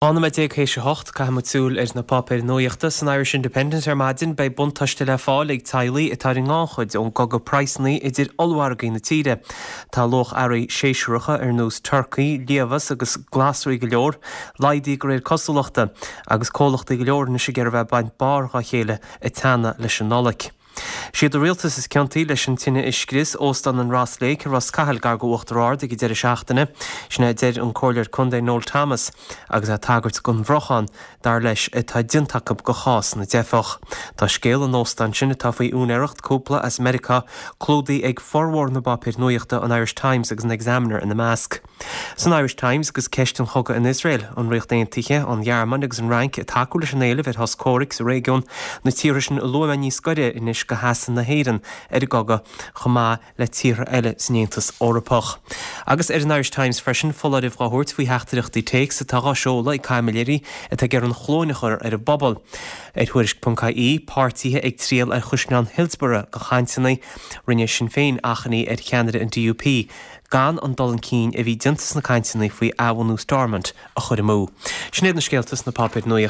12 nóiméad théis a hocht, caithfidh muid súil ar na páipéir nuachta. San Irish Independent ar maidin, beidh buntáiste le fáil ag teaghlaigh atá ar an ngannchuid ón gcogadh praghsanna idir ollmhargaí na tíre. Tá luach earraí séasúracha ar nós turcaí, liamhás agus glasraí go leor laghdaithe de réir cosúlachta, agus comhlachtaí go leor anois ag iarraidh a bheith ag baint barr dhá chéile ag teannadh leis an Nollaig. Siad an rialtas is ciontaí leis an tine a scrios Óstán an Ross Lake i Ros Cathail gar go Uachtar Ard ag an deireadh seachtaine. Sin é a deir an Comhairleoir Contae Noel Thomas agus é ag tagairt don bhrocháin, dar leis, atá déanta acu go chás na dteifeach. Tá scéal an óstáin sin, atá faoi úinéireacht cúpla as Meiriceá, clúdaithe ag formhór na bpáipéir nuachta, an Irish Times agus an Examiner ina measc. San Irish Times agus ceist an chogaidh in Iosrael, an Ríocht Aontaithe, an Ghearmáin agus an Fhrainc ag tacú leis an éileamh ar shos comhraic sa réigiún, na tíortha sin a luaigh mé níos gaire anois go sheasamh na hÉireann ar an gcogadh, chomh maith le tíortha eile san Aontas Eorpach. Agus ar an Irish Times freisin, foláireamh dhá thabhairt faoi theachtaireachtaí téacs atá dhá seoladh ag caimiléirí atá ag iarraidh an chluain a chur ar an bpobal. Ar Tuairisc.ie, páirtithe ag triall ar Chaisleán Hillsborough go chainteanna, rinne Sinn Féin achainí ar cheannaire an DUP, gan an dul chun cinn a bhí déanta sna cainteanna faoi athbhunú Stormont a chur amú. Sin iad na scéalta sna páipéir nuachta.